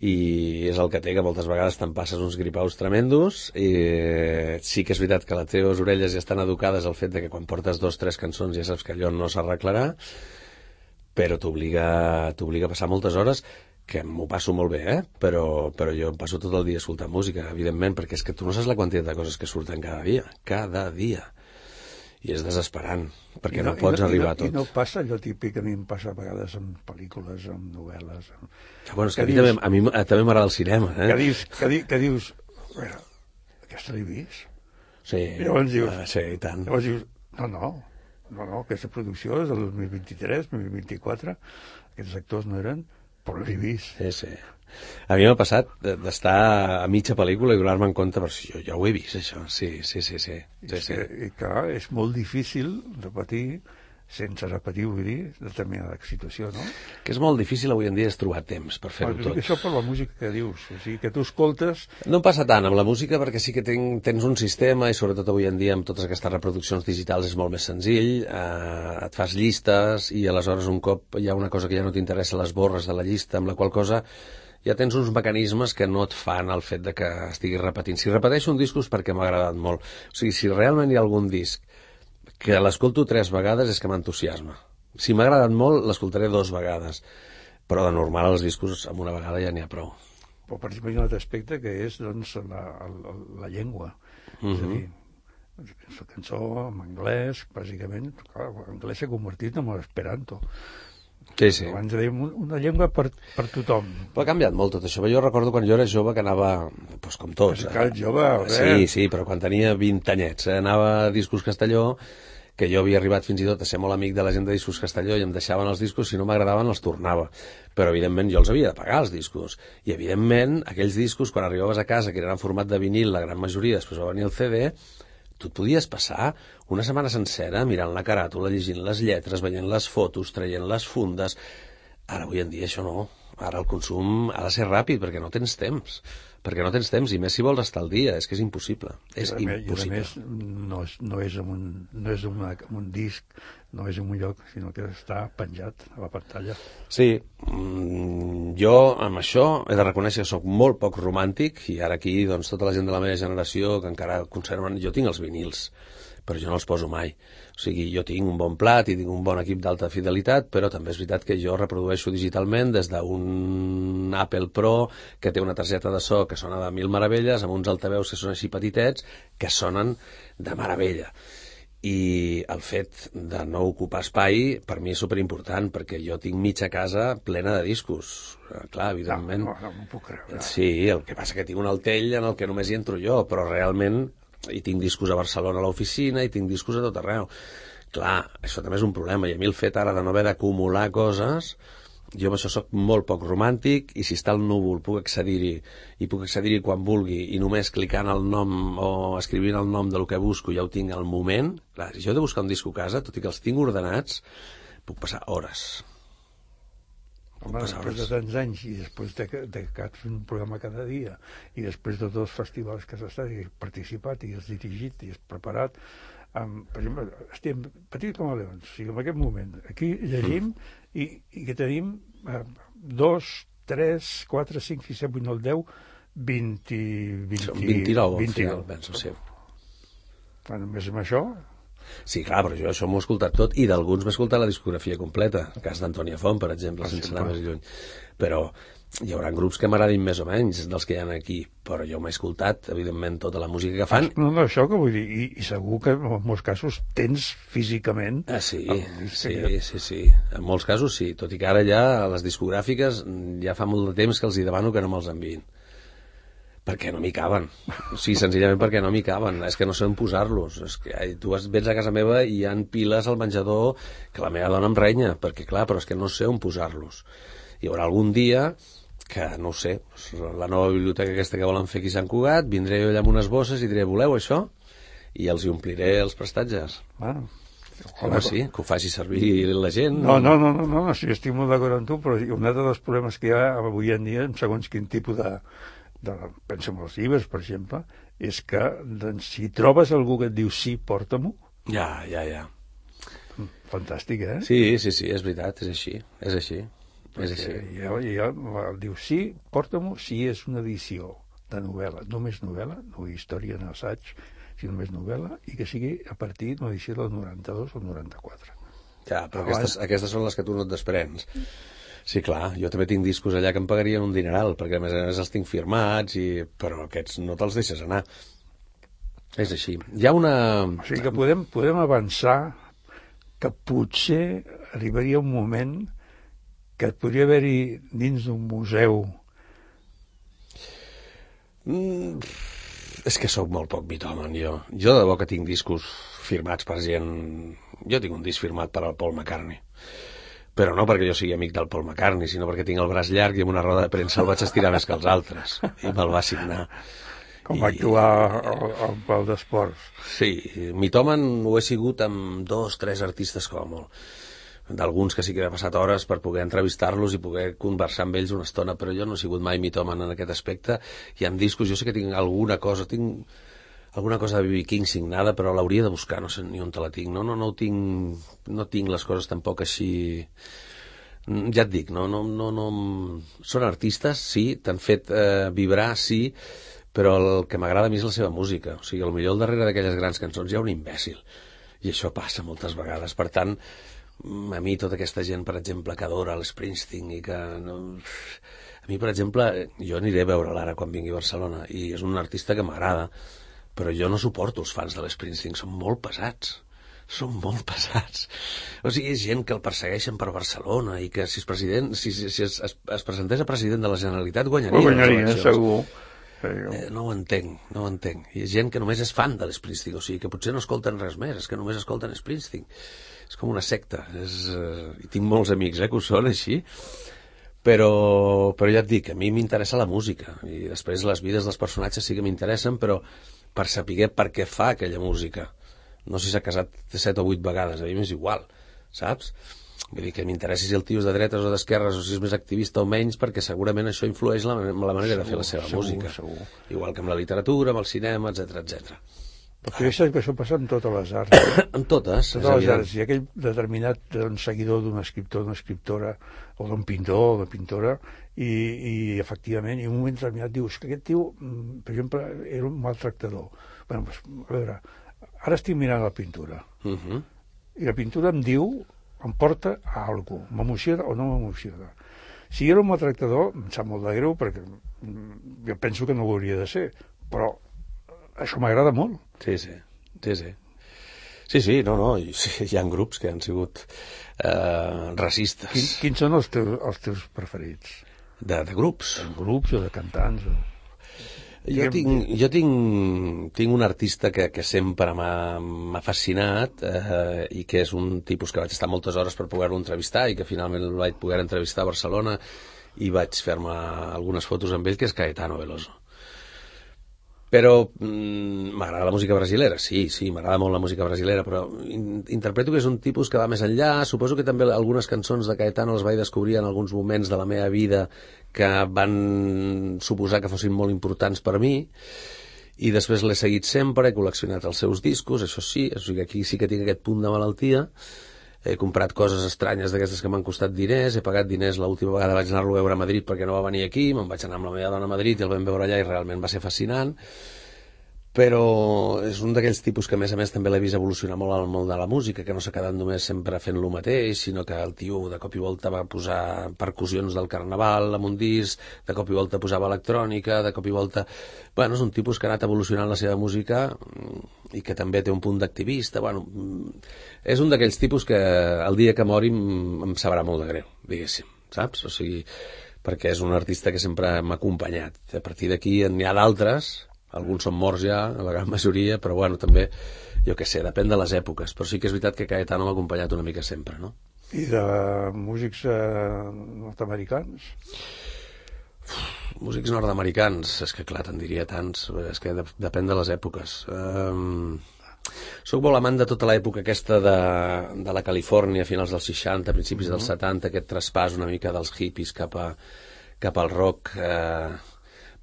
I és el que té, que moltes vegades te'n passes uns gripaus tremendos i sí que és veritat que les teves orelles ja estan educades al fet de que quan portes dos o tres cançons ja saps que allò no s'arreglarà, però t'obliga t'obliga a passar moltes hores, que m'ho passo molt bé, eh? però, però jo em passo tot el dia escoltant música, evidentment, perquè és que tu no saps la quantitat de coses que surten cada dia, cada dia. I és desesperant, perquè no, no pots no, arribar i no, a tot. I no passa allò típic que a mi em passa a vegades amb pel·lícules, amb novel·les... Amb... Ja, bueno, és que, que a mi, dius, també, a mi eh, també m'agrada el cinema. Eh? Que dius, que, di, que dius a veure, aquesta l'he vist? Sí, I llavors dius, uh, sí, i tant. Llavors dius, no, no, no, no, aquesta producció és del dos mil vint-i-tres, dos mil vint-i-quatre, aquests actors no eren, però l'he vist. Sí, sí. A mi m'ha passat d'estar a mitja pel·lícula i donar-me en compte, però si jo ja ho he vist, això. Sí, sí, sí, sí. sí, I, sí. que, I clar, és molt difícil repetir, sense repetir, vull dir, determinada situació, no? Que és molt difícil avui en dia és trobar temps per fer-ho Però tot. això per la música que dius, o sigui, que tu escoltes... No em passa tant amb la música perquè sí que ten, tens un sistema i sobretot avui en dia amb totes aquestes reproduccions digitals és molt més senzill, eh, et fas llistes i aleshores un cop hi ha una cosa que ja no t'interessa, les borres de la llista, amb la qual cosa ja tens uns mecanismes que no et fan el fet de que estiguis repetint. Si repeteixo un disc és perquè m'ha agradat molt. O sigui, si realment hi ha algun disc que l'escolto tres vegades és que m'entusiasma. Si m'ha agradat molt, l'escoltaré dos vegades. Però de normal els discos amb una vegada ja n'hi ha prou. Però per exemple hi ha un altre aspecte que és doncs, la, la, la llengua. Uh-huh. És a dir, la cançó en anglès, bàsicament, clar, l'anglès s'ha convertit en l'esperanto. Sí, sí. Abans dèiem una llengua per, per tothom. Però ha canviat molt tot això. Jo recordo quan jo era jove que anava, doncs com tots. Però si jove, eh? Sí, sí, però quan tenia vint anyets, eh? Anava a Discos Castelló, que jo havia arribat fins i tot a ser molt amic de la gent de Discos Castelló i em deixaven els discos, si no m'agradaven els tornava. Però evidentment jo els havia de pagar, els discos. I evidentment aquells discos, quan arribaves a casa, que eren en format de vinil, la gran majoria, després va venir el C D, tu et podies passar una setmana sencera mirant la caràtula, llegint les lletres, veient les fotos, traient les fundes. Ara, avui en dia, això no. Ara el consum ha de ser ràpid, perquè no tens temps. Perquè no tens temps, i més si vols estar al dia. És que és impossible. És I a impossible. més, no és, no és, en un, no és en, una, en un disc, no és en un lloc, sinó que està penjat a la pantalla. Sí, mm, jo amb això he de reconèixer que sóc molt poc romàntic, i ara aquí doncs, tota la gent de la meva generació que encara conserven... Jo tinc els vinils, però jo no els poso mai. O sigui, jo tinc un bon plat i tinc un bon equip d'alta fidelitat, però també és veritat que jo reprodueixo digitalment des d'un Apple Pro que té una targeta de so que sona de mil meravelles, amb uns altaveus que són així petitets, que sonen de meravella. I el fet de no ocupar espai per mi és superimportant, perquè jo tinc mitja casa plena de discos. Clar, evidentment... No, no, no m'ho puc creure. Sí, el que passa que tinc un altell en el que només hi entro jo, però realment i tinc discos a Barcelona a l'oficina i tinc discos a tot arreu. Clar, això també és un problema, i a mi el fet ara de no haver d'acumular coses, jo amb això soc molt poc romàntic, i si està al núvol puc accedir-hi i puc accedir-hi quan vulgui, i només clicant el nom o escrivint el nom del que busco ja ho tinc al moment. Clar, si jo he de buscar un disco a casa, tot i que els tinc ordenats, puc passar hores. Home, després de tants anys i després de que, de que has fet un programa cada dia i després de tots els festivals que has estat i has participat i has dirigit i has preparat, amb, per exemple, estem petits com a leons, o sigui, en aquest moment, aquí llegim i, i que tenim eh, dos, tres, quatre, cinc, sis, set, vuit, nou, deu, vint, vint, vint-i-nou, al vint-i-nou. final, penso, sí. Bueno, més amb això... Sí, clar, però jo això m'ho he escoltat tot i d'alguns m'he escoltat la discografia completa, el cas d'Antònia Font, per exemple, Per sense exemple. anar més lluny. Però hi haurà grups que m'agradin més o menys dels que hi ha aquí, però jo m'he escoltat, evidentment, tota la música que fan. No, no, això que vull dir, i, i segur que en molts casos tens físicament... Ah, sí, el disc sí, aquest. sí, sí. En molts casos sí, tot i que ara ja a les discogràfiques ja fa molt de temps que els hi demano que no me'ls enviïn. Perquè no m'hi caben. Sí, senzillament perquè no m'hi caben. És que no sé on posar-los. És que ai, tu vas, vens a casa meva i hi ha piles al menjador que la meva dona em renya, perquè clar, però és que no sé on posar-los. Hi haurà algun dia que, no ho sé, la nova biblioteca aquesta que volen fer aquí a Sant Cugat, vindré jo allà amb unes bosses i diré, voleu això? I els hi ompliré els prestatges. Ah, Home, sí, que ho faci servir la gent. no, no, no, no, no, sí, estic molt d'acord amb tu, però un altre dels problemes que hi ha avui en dia, en segons quin tipus de... de penso en els llibres, per exemple, és que doncs, si trobes algú que et diu sí, porta-m'ho, Ja, ja, ja. fantàstic, eh? Sí, sí, sí, és veritat, és així, és així. És així. Ja, ja, el diu sí, porta-m'ho, si és una edició de novel·la, només novel·la, no història, no assaig, sinó només novel·la, i que sigui a partir d'una edició del noranta-dos o noranta-quatre. Ja, però Abans- aquestes, aquestes són les que tu no et desprens. Sí, clar, jo també tinc discos allà que em pagarien un dineral, perquè a més a més els tinc firmats, i... però aquests no te'ls deixes anar. És així. Hi ha una... O sigui que podem, podem avançar que potser arribaria un moment que podria haver-hi dins d'un museu. Mm, és que sóc molt poc mitòman, jo. Jo de debò que tinc discos firmats per gent... Jo tinc un disc firmat per al Paul McCartney. Però no perquè jo sigui amic del Paul McCartney, sinó perquè tinc el braç llarg i amb una roda de premsa el vaig estirar més que els altres. I me'l va signar. Com I- va actuar al, al pal d'esports. Sí, mitòman ho he sigut amb dos, tres artistes com a molt. D'alguns que sí que he passat hores per poder entrevistar-los i poder conversar amb ells una estona, però jo no he sigut mai mitòman en aquest aspecte. I amb discos jo sé que tinc alguna cosa, tinc alguna cosa de B B King signada, però l'hauria de buscar, no sé ni on te la tinc. No, no, no ho tinc, no tinc les coses tampoc així... Ja et dic, no, no, no, no... Són artistes, sí, t'han fet eh, vibrar, sí, però el que m'agrada a mi és la seva música. O sigui, potser al darrere d'aquelles grans cançons hi ha un imbècil. I això passa moltes vegades. Per tant, a mi tota aquesta gent, per exemple, que adora l'Springsteen i que... No... A mi, per exemple, jo aniré a veure l'ara quan vingui a Barcelona i és un artista que m'agrada, però jo no suporto els fans de l'Springsteen, són molt pesats. Són molt pesats. O sigui, és gent que el persegueixen per Barcelona i que si és president, si, si, si es, es, es presentés a president de la Generalitat guanyaria. Ho guanyaria, les eleccions. segur. Eh, no ho entenc, no ho entenc. Hi ha gent que només és fan de l'Springsteen, o sigui, que potser no escolten res més, és que només escolten Springsteen. És com una secta. És, eh, i tinc molts amics eh, que ho són així, però, però ja et dic, a mi m'interessa la música, i després les vides dels personatges sí que m'interessen, però per saber per què fa aquella música. No sé si s'ha casat set o vuit vegades, a mi m'és igual, saps? Vull dir que m'interessi si el tio és de dretes o d'esquerres o si és més activista o menys, perquè segurament això influeix la, la manera segur, de fer la seva segur, música. Segur. Igual que amb la literatura, amb el cinema, etcètera, etcètera. Perquè això, que això passa amb totes les arts. En totes, totes les arts. Hi ha aquell determinat doncs, seguidor d'un escriptor, d'una escriptora, o d'un pintor, o d'una pintora, i, i efectivament, i en un moment determinat dius que aquest tio, per exemple, era un maltractador. Bé, doncs, a veure, ara estic mirant la pintura, uh -huh. i la pintura em diu, em porta a alguna cosa, m'emociona o no m'emociona. Si era un maltractador, em sap molt de greu, perquè jo penso que no ho hauria de ser, però això m'agrada molt. Sí, sí, sí, sí. Sí, sí, no, no, hi, sí, hi ha grups que han sigut eh, racistes. Quin, quins són els teus, els teus preferits? De, de grups? De grups o de cantants? O... Jo tinc, jo tinc, tinc un artista que, que sempre m'ha fascinat eh, i que és un tipus que vaig estar moltes hores per poder-lo entrevistar i que finalment el vaig poder entrevistar a Barcelona i vaig fer-me algunes fotos amb ell, que és Caetano Veloso. Però mm, m'agrada la música brasilera, sí, sí, m'agrada molt la música brasilera, però in, interpreto que és un tipus que va més enllà. Suposo que també algunes cançons de Caetano les vaig descobrir en alguns moments de la meva vida que van suposar que fossin molt importants per mi, i després l'he seguit sempre, he col·leccionat els seus discos, això sí, o sigui, aquí sí que tinc aquest punt de malaltia. He comprat coses estranyes d'aquestes que m'han costat diners, he pagat diners, l'última vegada vaig anar-lo a veure a Madrid perquè no va venir aquí, me'n vaig anar amb la meva dona a Madrid i el vam veure allà i realment va ser fascinant, però és un d'aquells tipus que a més a més també l'he vist evolucionar molt al món de la música, que no s'ha quedat només sempre fent lo mateix, sinó que el tio de cop i volta va posar percussions del carnaval amb un disc, de cop i volta posava electrònica, de cop i volta... Bueno, és un tipus que ha anat evolucionant la seva música i que també té un punt d'activista. Bueno, és un d'aquells tipus que el dia que mori em sabrà molt de greu, diguéssim, saps? O sigui, perquè és un artista que sempre m'ha acompanyat. A partir d'aquí n'hi ha d'altres, alguns són morts ja, la gran majoria, però bueno, també, jo què sé, depèn de les èpoques, però sí que és veritat que Caetano m'ha acompanyat una mica sempre, no? I de músics eh, nord-americans? Músics nord-americans, és que clar, te'n diria tants, és que de, depèn de les èpoques. Um, soc molt amant de tota l'època aquesta de, de la Califòrnia, a finals dels seixanta, principis dels setanta, aquest traspàs una mica dels hippies cap, a, cap al rock. Eh,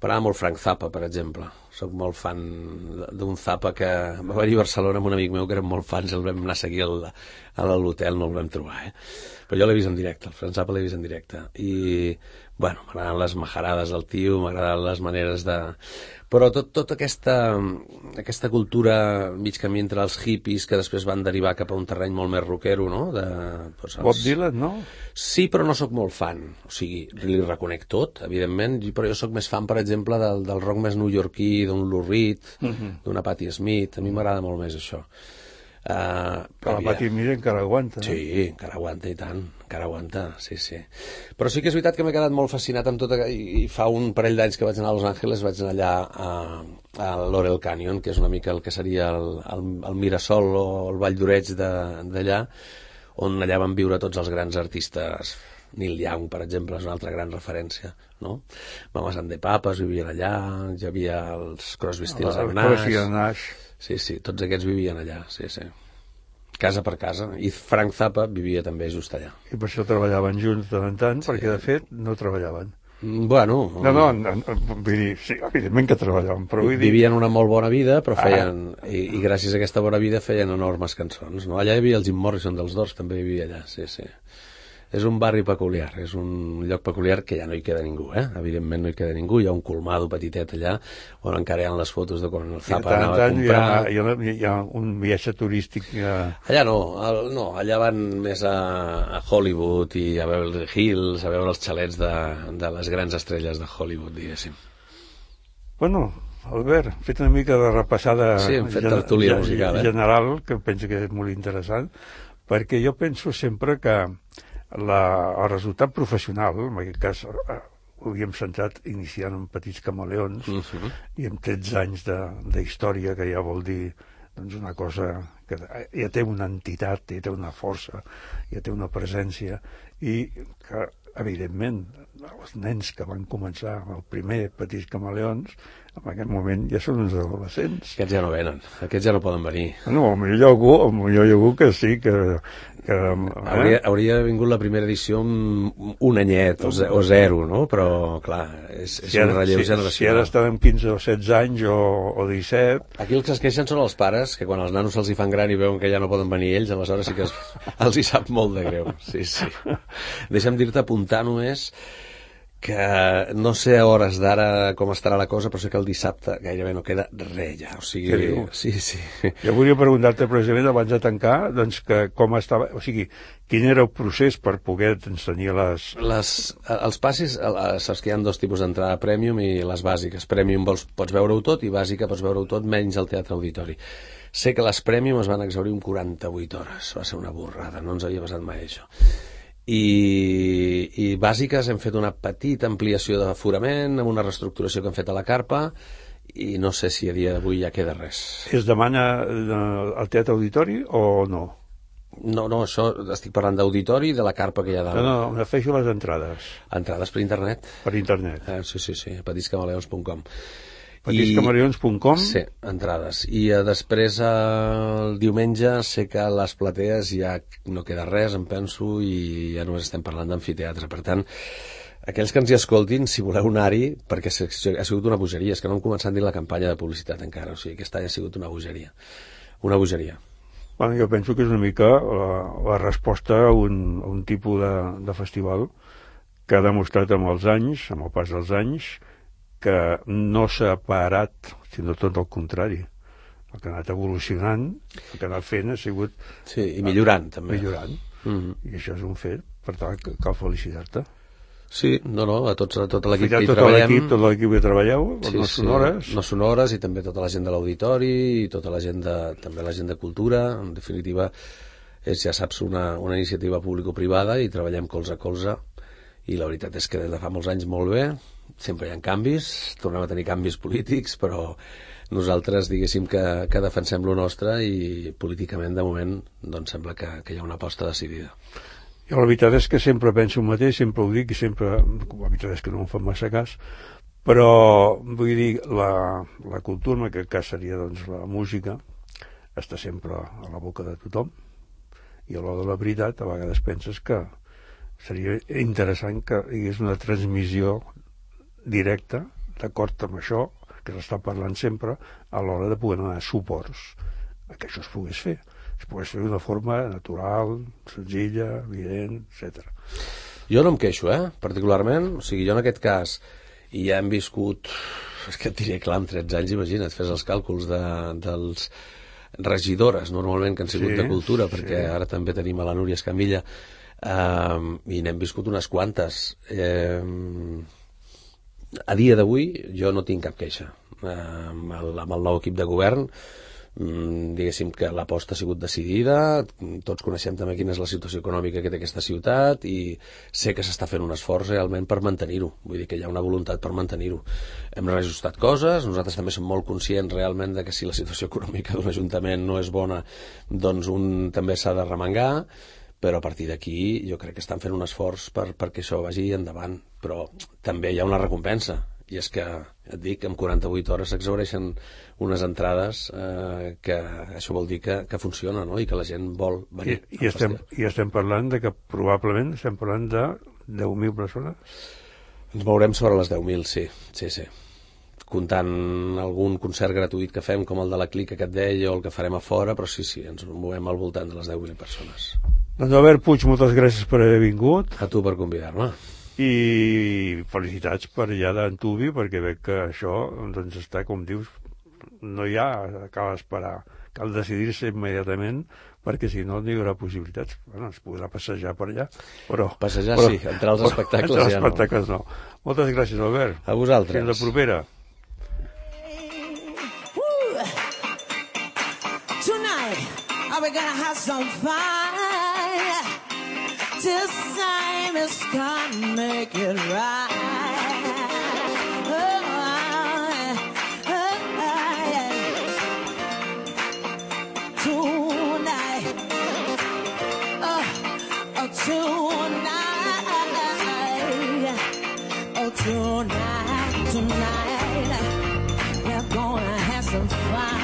M'agrada molt Frank Zappa, per exemple. Soc molt fan d'un Zappa que va venir a Barcelona amb un amic meu que érem molt fans, el vam anar a seguir al, a l'hotel, no el vam trobar, eh? Però jo l'he vist en directe, el Frank Zappa l'he vist en directe. I, bueno, m'agraden les majarades del tio, m'agraden les maneres de... Però tot, tota aquesta, aquesta cultura mig camí entre els hippies que després van derivar cap a un terreny molt més rockero, no? De, doncs, els... Bob Dylan, no? Sí, però no sóc molt fan. O sigui, li reconec tot, evidentment, però jo sóc més fan, per exemple, del, del rock més newyorquí, d'un Lou Reed, uh-huh. d'una Patti Smith. A mi m'agrada molt més això. Uh, però la Patti Smith encara aguanta. Sí, eh? encara aguanta i tant, encara aguanta, sí, sí. Però sí que és veritat que m'he quedat molt fascinat amb tot, i, i fa un parell d'anys que vaig anar a Los Angeles, vaig anar allà a, a Laurel Canyon, que és una mica el que seria el, el, el Mirasol o el Vall d'Oreig d'allà, on allà van viure tots els grans artistes. Neil Young, per exemple, és una altra gran referència, no? Mamas and the Papas vivien allà, hi havia els Crosby, Stills and Nash. Sí, sí, tots aquests vivien allà, sí, sí. Casa per casa. I Frank Zappa vivia també just allà. I per això treballaven junts de tant en tant, sí. Perquè de fet no treballaven. Bueno... No, no, no, no vull dir, sí, evidentment que treballaven, però vull dir... Vivien una molt bona vida, però feien... Ah. I, I gràcies a aquesta bona vida feien enormes cançons, no? Allà hi havia el Jim Morrison dels Doors, també vivia allà, sí, sí. És un barri peculiar, és un lloc peculiar que ja no hi queda ningú, eh? Evidentment no hi queda ningú, hi ha un colmado petitet allà on encara hi ha les fotos de quan el Zappa anava a comprar. Hi ha, hi, ha, hi ha un viatge turístic... A... Allà no, el, no, allà van més a, a Hollywood i a Beverly Hills, a veure els xalets de, de les grans estrelles de Hollywood, diguéssim. Bueno, Albert, hem fet una mica de repassada sí, hem fet tertúlia musical, eh? general, que penso que és molt interessant, perquè jo penso sempre que La, el resultat professional, en aquest cas eh, ho havíem centrat iniciant amb Petits Camaleons uh-huh. i amb tretze anys d'història, que ja vol dir doncs, una cosa que ja té una entitat, ja té una força, ja té una presència, i que evidentment els nens que van començar el primer Petits Camaleons en aquest moment ja són uns adolescents. Aquests ja no venen, aquests ja no poden venir. No, potser hi ha algú, potser hi ha algú que sí, que... que eh? hauria, hauria vingut la primera edició amb un anyet o, ze, o zero, no? Però, clar, és, és si un relleu si, generacional. Si ara estan amb quinze o setze anys o, o disset... Aquí els que es queixen són els pares, que quan els nanos se'ls hi fan gran i veuen que ja no poden venir ells, aleshores sí que es, els hi sap molt de greu. Sí, sí. Deixa'm dir-te, apuntar només que no sé a hores d'ara com estarà la cosa, però sé que el dissabte gairebé no queda res ja, o sigui... Sí, sí. Jo volia preguntar-te precisament abans de tancar, doncs, que com estava, o sigui, quin era el procés per poder tenir les... les... Els passis, saps que hi ha dos tipus d'entrada, Premium i les bàsiques. Premium vols, pots veure-ho tot i bàsica pots veure-ho tot menys al Teatre Auditori. Sé que les Premium es van exhaurir en quaranta-vuit hores, va ser una borrada, no ens havia passat mai això. I, i bàsiques hem fet una petita ampliació d'aforament amb una reestructuració que hem fet a la carpa i no sé si a dia d'avui ja queda res. Es demana al Teatre Auditori o no? No, no, això estic parlant d'auditori i de la carpa que hi ha dalt. No, no, me feixo les entrades. Entrades per internet? Per internet. Eh, sí, sí, sí, petits camaleons punt com. petits camaleons punt com? Sí, entrades. I eh, després el diumenge sé que a les platees ja no queda res, em penso, i ja només estem parlant d'amfiteatre. Per tant, aquells que ens hi escoltin, si voleu anar-hi, perquè ha sigut una bogeria, és que no hem començat ni la campanya de publicitat encara, o sigui, aquest any ha sigut una bogeria. Una bogeria. Bueno, jo penso que és una mica la, la resposta a un, a un tipus de, de festival que ha demostrat amb els anys, amb el pas dels anys, que no s'ha parat, sinó tot el contrari. El que ha anat evolucionant, el que ha anat fent ha sigut... Sí, i millorant, també. Millorant. Mm-hmm. I això és un fet, per tant, cal felicitar-te. Sí, no, no, a, tots, a tot l'equip que hi tot treballem. Tot l'equip que treballeu, sí, no sonores. Sí, no sonores, i també tota la gent de l'auditori, i tota la gent de, també la gent de cultura. En definitiva, és, ja saps, una, una iniciativa público-privada i treballem colze a colze, i la veritat és que des de fa molts anys molt bé, sempre hi ha canvis, tornem a tenir canvis polítics, però nosaltres diguéssim que, que defensem lo nostre, i políticament de moment doncs sembla que, que hi ha una aposta decidida. Jo la veritat és que sempre penso el mateix, sempre ho dic, i sempre, la veritat és que no em fan massa cas, però vull dir, la, la cultura, en aquest cas seria doncs la música, està sempre a la boca de tothom, i a l'hora de la veritat a vegades penses que seria interessant que hi hagués una transmissió directa, d'acord amb això, que s'està parlant sempre, a l'hora de poder donar suports a que això es pogués fer. Es pogués fer d'una forma natural, senzilla, evident, etcètera. Jo no em queixo, eh, particularment. O sigui, jo en aquest cas, i ja hem viscut, és que et diré, clar, amb tretze anys, imagina't, fes els càlculs de, dels regidores, normalment, que han sigut sí, de cultura, perquè sí. Ara també tenim a la Núria Escamilla, eh, i n'hem viscut unes quantes. Eh, a dia d'avui, jo no tinc cap queixa. Eh, amb, el, amb el nou equip de govern, diguéssim que l'aposta ha sigut decidida, tots coneixem també quina és la situació econòmica que té aquesta ciutat, i sé que s'està fent un esforç realment per mantenir-ho, vull dir que hi ha una voluntat per mantenir-ho. Hem reajustat coses, nosaltres també som molt conscients realment de que si la situació econòmica d'un ajuntament no és bona, doncs un també s'ha de remengar, però a partir d'aquí jo crec que estan fent un esforç per, perquè això vagi endavant, però també hi ha una recompensa, i és que, et dic, en quaranta-vuit hores s'exhaureixen unes entrades eh, que això vol dir que, que funciona, no? I que la gent vol venir. I, i, estem, I estem parlant de que probablement estem parlant de deu mil persones? Ens mourem sobre les deu mil, sí, sí, sí. Comptant algun concert gratuït que fem, com el de la Clica que et deia, o el que farem a fora, però sí, sí, ens movem al voltant de les deu mil persones. Doncs Albert Puig, moltes gràcies per haver vingut. A tu per convidar-me. I felicitats per allà d'Antuvi, perquè veig que això doncs està, com dius, no hi ha, cal esperar, cal decidir-se immediatament, perquè si no, no hi haurà possibilitats. Bueno, es podrà passejar per allà, però... Passejar però, sí, entrar als espectacles entrar als ja espectacles no. no. Moltes gràcies, Albert. A vosaltres. Fins la propera. Tonight, are we gonna have some fun? This time is gonna make it right. Oh, oh, oh, yeah. Tonight, oh, oh, tonight, oh, tonight, tonight, we're gonna have some fun.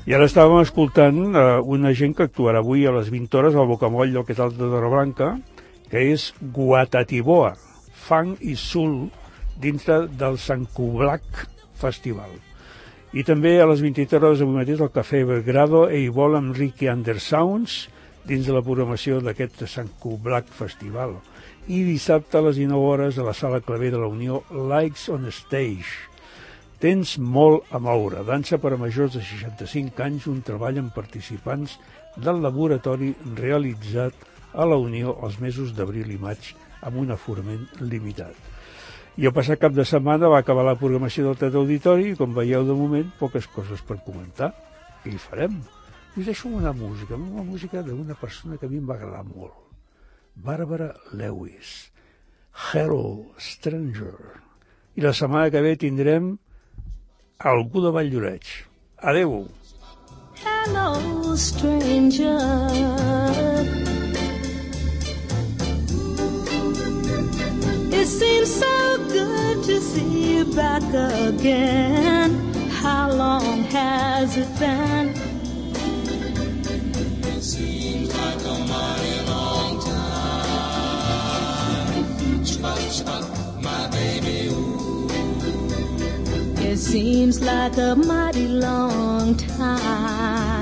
I ara estàvem escoltant uh, una gent que actuarà avui a les vint hores al Bocamoll del Quesal de Torreblanca, que és Guatatiboa, funk i soul dintre del Sant Cublac Festival. I també a les vint hores avui mateix al Cafè Belgrado e hi vol amb Ricky Undersounds dins de la programació d'aquest Sant Cublac Festival. I dissabte a les dinou hores a la Sala Claver de la Unió, Likes on Stage. Tens molt a moure. Dansa per a majors de seixanta-cinc anys, un treball amb participants del laboratori realitzat a la Unió els mesos d'abril i maig amb un aforament limitat. I el passat cap de setmana va acabar la programació del Teatre Auditori i, com veieu de moment, poques coses per comentar. i farem. I us deixo una música, una música d'una persona que a mi em va agradar molt. Barbara Lewis. Hello, Stranger. I la setmana que ve tindrem algú de Valldoreix. Adeu. Hello, stranger. It seems so good to see you back again. How long has it been? It seems like a mighty long time. Chuck, chuck, my baby, ooh. It seems like a mighty long time.